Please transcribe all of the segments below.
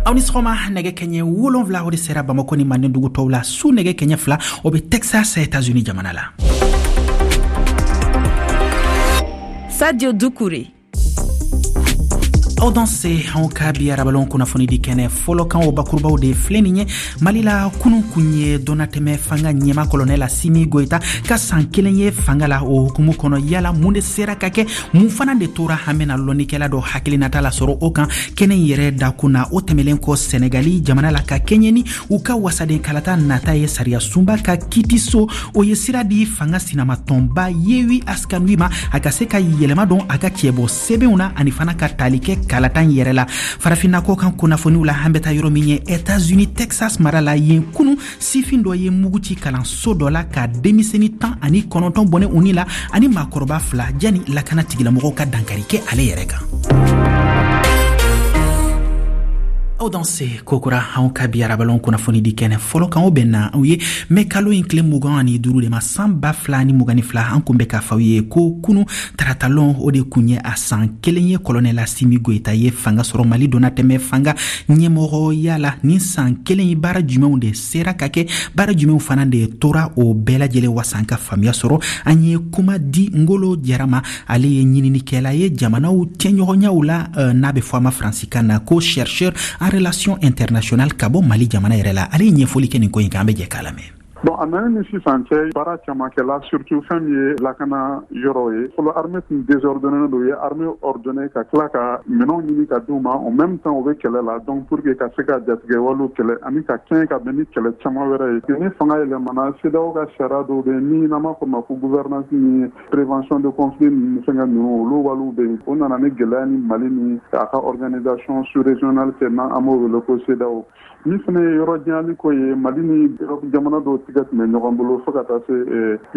Aw ni sɔgɔma. Nɛgɛ kɛɲɛ 7, o de sera Bamako ni manden dugu tɔw la. Su nɛgɛ kɛɲɛ 2, o bɛ Texas, Etats Unis jamana la. Sadio Dukure. Aw danse. Anw ka bi arabalon kunnafoni di kɛnɛ fɔlɔ kan, o bakurubaw de filɛ nin ye. Mali la, kunu kun ye dɔnnatɛmɛ fanga ɲɛma Kɔlɔnɛl Asimi Goyita ka san 1 ye fanga la. O hukumu kɔnɔ, yala mun de sera ka kɛ, mun fana de tora? An bena lɔnnikɛla dɔ hakilinata lasɔrɔ o kan kɛnɛ in yɛrɛ dakun na. O tɛmɛlen kɔ, Sɛnɛgali jamana la, ka kɛɲɛ ni u ka wasaden kalata nata ye, sariya sunba ka kitiso, o ye sira di fanga sinamatɔnba Yewi Askanwi ma, a ka se ka yɛlɛma don a ka cɛbɔ sɛbɛnw na ani fana ka tali kɛ kalata in yɛrɛ la. Farafinna kɔ kan kunnafoniw la, an bɛ taa yɔrɔ min ye, Etats-Unis, Texas mara la. Yen, kunu, sifin dɔ ye mugu ci kalanso dɔ la ka denmisɛni 19 bɔnɛ u ni la ani maakɔrɔba 2, jani lakana tigilamɔgɔw ka dankari kɛ ale yɛrɛ kan. Aw danse kokura. Anw ka bi arabalon kunnafoni di kɛnɛ fɔlɔ kan, o bɛnna aw ye mɛ kalo in tile 25 de ma, san 2022. An kun bɛ k'a fɔ aw ye ko kunu taratalon, o de kun ye a san 1 ye Kɔlɔnɛl Asimi Goyita ye fanga sɔrɔ Mali donnatɛmɛ fanga ɲɛmɔgɔya la. Nin san 1 ye, baara jumɛnw de sera ka kɛ, baara jumɛnw fana de tora? O bɛɛ lajɛlen wasa an ka faamuya sɔrɔ, an ye kuma di Ngolo Jara ma. Ale ye ɲininikɛla ye jamanaw cɛɲɔgɔnyaw la, n'a bɛ fɔ a ma faransikan na ko chercheur en relation internationale, ka bɔ Mali jamana yɛrɛ la. Ale ye ɲɛfɔli kɛ nin ko in kan. An bɛ jɛ k'a lamɛn. Bon, a nana ni sisan cɛ, baara caman kɛla, surtout fɛn min ye lakana yɔrɔ ye. Fɔlɔ, armée tun désordonné don. U ye armée ordonné ka tila ka minɛnw ɲini ka d'u ma. En même temps, u bɛ kɛlɛ la. Donc pour que ka se ka jatigɛwalew kɛlɛ ani ka kɛɲɛ ka bɛn ni kɛlɛ caman wɛrɛ ye, ni fanga yɛlɛmana, CEDEAO ka sariya dɔw bɛ yen min n'an b'a fɔ ma ko gouvernance ni prévention de conflit ninnu, fɛngɛ ninnu, olu waliw bɛ yen. O nana ni gɛlɛya ni Mali ni a ka organisation sous régionale cɛ, n'an b'o wele ko CEDEAO. Min fana ye yɔrɔ janyali ko ye, Mali ni Europe jamana dɔw tigɛ tun bɛ ɲɔgɔn bolo fo ka taa se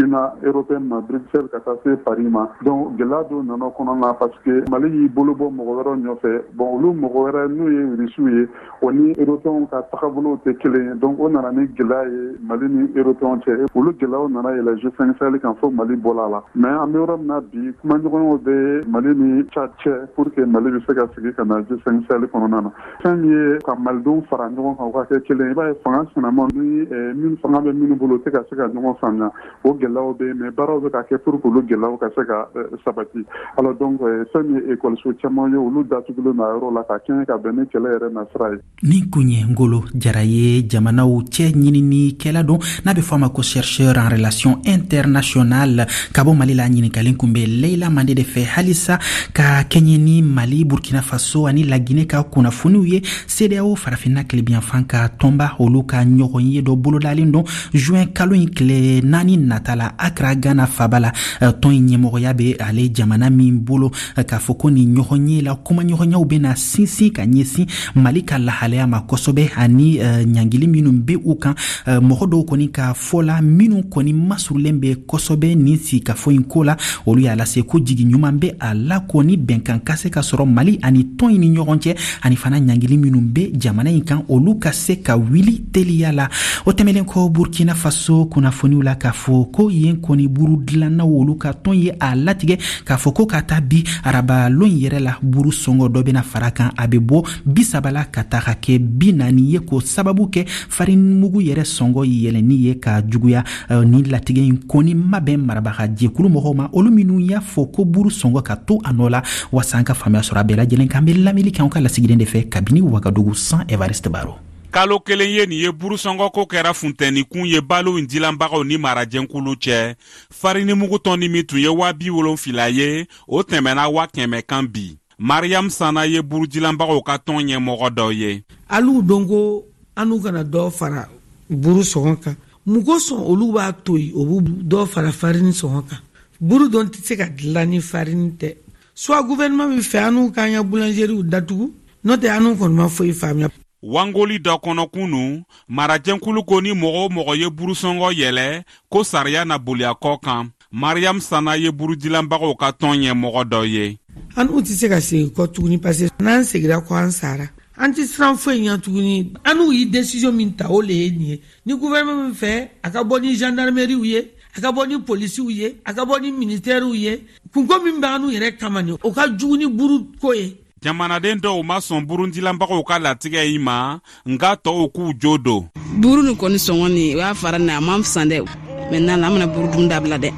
Union européenne ma, Bruxelles, ka taa se Paris ma. Donc gɛlɛya dɔw nana kɔnɔ na parce que Mali y'i bolo bɔ mɔgɔ wɛrɛw nɔfɛ. Bon, olu mɔgɔ wɛrɛ, n'u ye Rusiw ye, o ni Européens ka tagabolow tɛ kelen ye. Donc o nana ni gɛlɛya ye Mali ni Européens cɛ. Olu gɛlɛyaw nana yɛlɛ G5 Sahel kan fo Mali bɔla a la. Mais an bɛ yɔrɔ min na bi, kumaɲɔgɔnyaw bɛ Mali ni Tchad cɛ pour que Mali bɛ se ka segin ka na G5 Sahel kɔnɔna na. Fɛn min ye ka Malidenw fara ɲɔgɔn kan, u ka kɛ kelen, i b'a ye fanga sinama ni min fanga bɛ minnu bolo, u tɛ ka se ka ɲɔgɔn faamuya. O gɛlɛyaw bɛ yen, mais baaraw bɛ ka kɛ pour que olu gɛlɛyaw ka se ka sabati. Alors donc, fɛn min ye ekɔliso caman ye, olu datugulen don a yɔrɔ la ka kɛɲɛ ka bɛn ni kɛlɛ yɛrɛ nasira ye. Nin kun ye Ngolo Jara ye, jamanaw cɛ ɲininikɛla don, n'a bɛ fɔ a ma ko chercheur en relation internationale, ka bɔ Mali la. Ɲininkalen kun bɛ Leila Mande de fɛ. Halisa ka kɛɲɛ ni Mali, Burkina Faso ani Lagine ka kunnafoniw ye, CEDEAO, Farafinna tilebiyanfan ka tɔnba, olu ka ɲɔgɔn ye dɔ bolodalen don juin kalo in tile 4 nata la, Akra, Ghana faba la. Tɔn in ɲɛmɔgɔya bɛ ale jamana min bolo, k'a fɔ ko nin ɲɔgɔn ye la, kumaɲɔgɔnyaw bɛna sinsin ka ɲɛsin Mali ka lahalaya ma kosɛbɛ ani ɲangili minnu bɛ u kan. Mɔgɔ dɔw kɔni ka fɔ la, minnu kɔni masurulen bɛ kosɛbɛ nin sigikafɔ in ko la, olu y'a lase ko jigi ɲuman bɛ a la ko ni bɛnkan ka se ka sɔrɔ Mali ani tɔn in ni ɲɔgɔn cɛ, ani fana ɲangili minnu bɛ jamana in kan, olu ka se ka wuli teliya la. O tɛmɛlen kɔ, Burkina Faso kunnafoniw la, k'a fɔ ko yen kɔni buru dilannaw, olu ka tɔn ye a latigɛ k'a fɔ ko ka taa bi araba lon yɛrɛ la, buru sɔngɔ dɔ bɛna fara kan, a bɛ bɔ 30 la ka taga kɛ 40 ye, k'o sababu kɛ farinimugu yɛrɛ sɔngɔ yɛlɛnni ye ka juguya. Ni latigɛ in kɔni ma bɛn marabaga jɛkulu mɔgɔw ma, olu minnu y'a fɔ ko buru sɔngɔ ka to a nɔ la. Waasa an ka faamuya sɔrɔ a bɛɛ lajɛlen kan, an bɛ lamɛnni kɛ an ka lasigiden de fɛ kabini Wagadugu, San Evariste Baro. Kalo 1 ye nin ye, burusɔngɔko kɛra funtɛnikun ye balo in dilanbagaw ni marajɛnkulu cɛ. Farinimugu tɔni min tun ye 70.000 ye, o tɛmɛna 100.000 kan bi. Mariam Sana ye burudilanbagaw ka tɔn ɲɛmɔgɔ dɔ ye. Alu don ko anu kana dɔ fara buru sɔngɔ kan. Mun kosɔn olu b'a to yen, o b'u dɔ fara farini sɔngɔ kan? Buru dɔn tɛ se ka dilan ni farini tɛ. Soit gouvernement bɛ fɛ anu k'an ka boulangeriew datugu, n'o tɛ anu kɔni ma foyi faamuya. Wangoli dɔ kɔnɔ kunu, marajɛnkulu ko ni mɔgɔ o mɔgɔ ye burusɔngɔ yɛlɛ, ko sariya na boli a kɔ kan. Mariam Sana ye burudilanbagaw ka tɔn ɲɛmɔgɔ dɔ ye. An tɛ se ka segin kɔ tuguni, parce que n'an segira kɔ, an sara. An tɛ siran foyi ɲɛ tuguni. An ye décision min ta, o le ye nin ye. Ni gouvernement min fɛ, a ka bɔ ni gendarmeriew ye, a ka bɔ ni polisiw ye, a ka bɔ ni militaires ye. Kunko min b'an yɛrɛ kama nin, o ka jugu ni buru ko ye. Jamanaden dɔw ma sɔn burundilanbagaw ka latigɛ in ma, nka tɔw k'u jo don. Buru nin kɔni sɔngɔ nin, o y'a fara nin, a man fisa dɛ. Maintenant an bɛna buru dun dabila dɛ,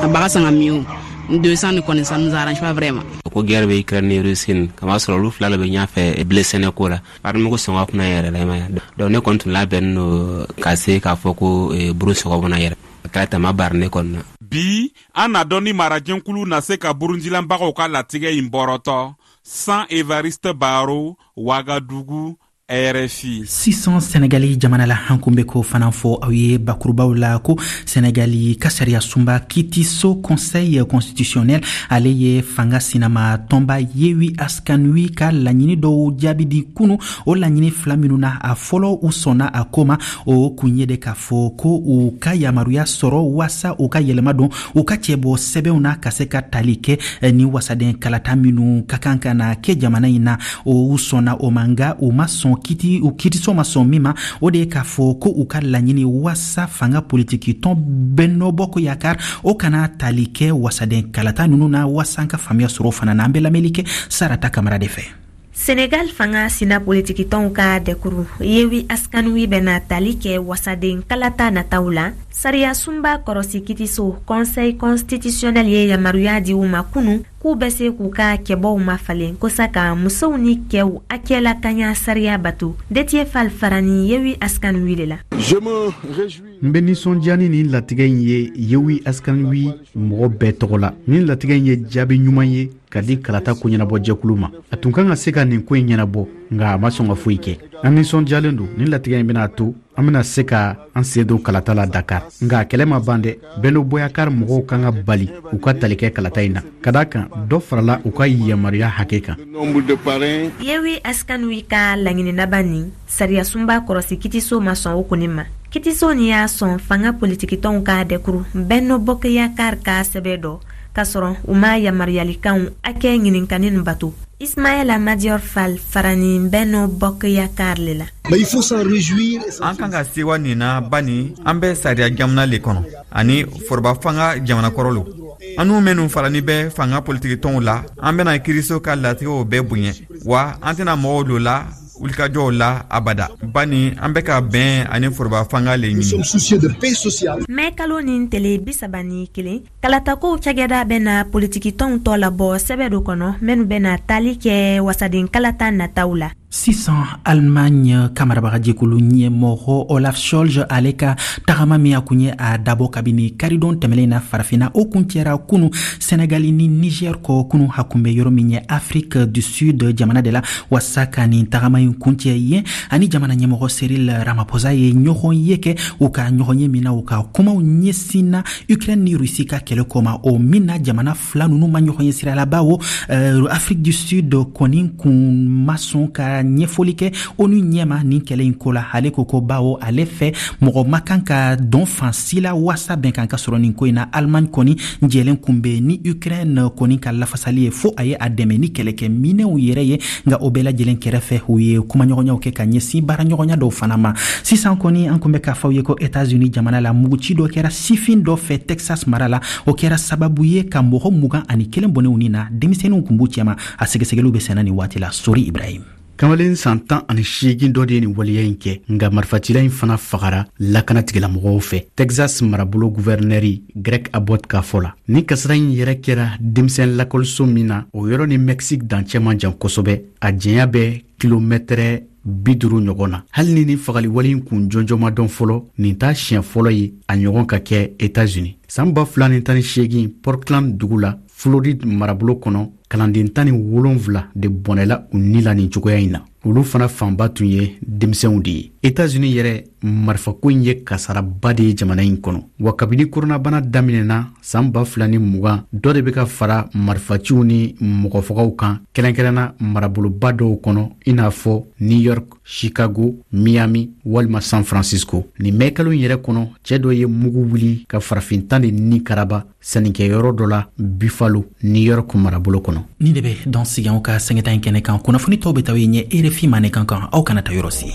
a baga san ka min o 200 nin kɔni, ça nous arrange pas vraiment. Ko guerre bɛ Ukraine ni Russie ni kama sɔrɔ, olu fila le bɛ ɲɛfɛ blé sɛnɛko la. Farinimugu sɔngɔ kunna yɛrɛ la, i ma ye. Donc ne kɔni tun labɛnnen don ka se k'a fɔ ko buru sɔngɔ bɛna yɛrɛ. A kɛra tama bari ne kɔni na. Bi, an n'a dɔn ni marajɛnkulu na se ka burundilanbagaw ka latigɛ in bɔrɔtɔ. San Evariste Baro, Wagadugu, RFI. Sisan Senegali jamana la, an kun bɛ k'o fana fɔ aw ye bakurubaw la ko Senegali ka sariya sunba kitiso, Conseil constitutionnel, ale ye fanga sinama tɔnba Yewi Askanwi ka laɲini dɔw jaabi di kunu. O laɲini fila minnu na, a fɔlɔ, u sɔnna a ko ma. O kun ye de k'a fɔ ko u ka yamaruya sɔrɔ waasa u ka yɛlɛma don u ka cɛbɔ sɛbɛnw na, ka se ka tali kɛ ni wasaden kalata minnu ka kan ka na kɛ jamana in na. O sɔnna o ma, nka u ma sɔn kiti, u kitiso ma sɔn min ma, o de ye k'a fɔ ko u ka laɲini waasa fanga politiki tɔn Benno Bokk Yakaar, o kana tali kɛ wasaden kalata ninnu na. Waasa an ka faamuya sɔrɔ fana na, an bɛ lamɛnli kɛ Sarata Kamara de fɛ. Senegal fanga sina politikitɔnw ka dɛkuru Yewi Askanwi bɛna tali kɛ wasaden kalata nataw la. Sariya sunba kɔrɔsi kitiso, Conseil constitutionnel, ye yamaruya di u ma kunu k'u bɛ se k'u ka cɛbɔw mafalen kosa ka musow ni cɛw hakɛ lakanya sariya bato. Detiye Fal farani Yewi Askanwi le la. N bɛ nisɔndiya ni nin latigɛ in ye Yewi Askanwi mɔgɔ bɛɛ tɔgɔ la. Nin latigɛ in ye jaabi ɲuman ye ka di kalata koɲɛnabɔjɛkulu ma. A tun kan ka se ka nin ko in ɲɛnabɔ, nka a ma sɔn ka foyi kɛ. An nisɔndiyalen don. Nin latigɛ in bɛna to an bɛna se ka an sen don kalata la Dakar, nka kɛlɛ ma ban dɛ. Benno Bokk Yakaar mɔgɔw kan ka bali u ka tali kɛ kalata in na, ka da kan dɔ farala u ka yamaruya hakɛ kan. Yewi Askanwi ka laɲini laban nin, sariyasunba kɔrɔsi kitiso ma sɔn o kɔni ma. Kitiso nin y'a sɔn fanga politikitɔnw ka dɛkuru Benno Bokk Yakaar ka sɛbɛ dɔ, k'a sɔrɔ u ma yamaruyalikanw hakɛ ɲininkani nin bato. Ismaɛla Madior Fall farani Benno Bokk Yakaar le la. An kan ka sewa nin na, bani an bɛ sariya jamana le kɔnɔ ani foroba fanga jamana kɔrɔ lo. An nu minnu farani bɛ fanga politikitɔnw la, an bɛna kiiriso ka latigɛw bɛɛ bonya, wa an tɛna mɔgɔw lo la wulikajɔw la abada, bani an bɛ ka bɛn ani foroba fanga le ɲini. Mɛ kalo nin tele 31, kalatakow cakɛda bɛna politikitɔnw tɔ labɔ sɛbɛ dɔ kɔnɔ minnu bɛna tali kɛ wasaden kalata nataw la. Sisan, Allemagne ka marabagajɛkulu ɲɛmɔgɔ Olaf Scholz, ale ka tagama min a kun ye a dabɔ kabini karidon tɛmɛlen na Farafina, o kuncɛra kunu Senegali ni Niger kɔ. Kunu, a kun bɛ yɔrɔ min ye, Afrique du Sud jamana de la, waasa ka nin tagama in kuncɛ yen. Ani jamana ɲɛmɔgɔ Cyril Ramaphosa ye ɲɔgɔn ye kɛ. U ka ɲɔgɔn ye min na, u ka kumaw ɲɛsinna Ukraine ni Russie ka kɛlɛ kɔma, o min na jamana fila nunu ma ɲɔgɔn ye sira la, bawo Afrique du Sud kɔni kun ma sɔn ka ɲɛfɔli kɛ ONU ɲɛma nin kɛlɛ in ko la. Ale ko ko bawo ale fɛ, mɔgɔ ma kan ka dɔn fan si la waasa bɛnkan ka sɔrɔ nin ko in na. Allemagne kɔni jɛlen kun bɛ ni Ukraine kɔni ka lafasali ye, fo a ye a dɛmɛ ni kɛlɛkɛ minɛw yɛrɛ ye. Nka o bɛɛ lajɛlen kɛrɛfɛ, u ye kumaɲɔgɔnyaw kɛ ka ɲɛsin baaraɲɔgɔnya dɔw fana ma. Sisan kɔni, an kun bɛ k'a fɔ aw ye ko Etats-Unis jamana la, muguci dɔ kɛra sifin dɔ fɛ Texas mara la. O kɛra sababu ye ka mɔgɔ 21 bɔnɛ u ni na, denmisɛnninw kun b'u cɛma. A sɛgɛsɛgɛliw bɛ senna nin waati la. Sori Ibrahim. Kamalen san 18 dɔ de ye nin waleya in kɛ, nka marifacila in fana fagara lakana tigilamɔgɔw fɛ. Texas marabolo guvɛrinɛri Greg Abbott ka fɔ la, ni kasara in yɛrɛ kɛra denmisɛn lakɔliso min na, o yɔrɔ ni Mexique dancɛ man jan kosɛbɛ, a janya bɛ kilomɛtɛrɛ 50 ɲɔgɔn na. Hali ni nin fagaliwale in kun jɔnjɔn ma dɔn fɔlɔ, nin t'a siɲɛ fɔlɔ ye a ɲɔgɔn ka kɛ Etats-Unis. San 2018, Portland dugu la, Floride marabolo kɔnɔ, kalanden 17 de bɔnɛla u ni la nin cogoya in na. Olu fana fanba tun ye denmisɛnw de ye. Etats-Unis yɛrɛ, marifako in ye kasaraba de ye jamana in kɔnɔ, wa kabini koronabana daminɛna san 2020, dɔ de bɛ ka fara marifaciw ni mɔgɔfagaw kan, kɛrɛnkɛrɛnna maraboloba dɔw kɔnɔ, i n'a fɔ New York, Chicago, Miami walima San Francisco. Nin mɛkalo in yɛrɛ kɔnɔ, cɛɛ dɔ ye mugu wuli ka farafin 10 de ni karaba sannikɛyɔrɔ dɔ la Buffalo, New York marabolo kɔnɔ. Nin de bɛ dan sigi anw ka sɛgɛta in kɛnɛ kan. Kunnafoni tɔw bɛ taa ye ɲɛ RFI mandenkan kan. Aw kana ta yɔrɔ si.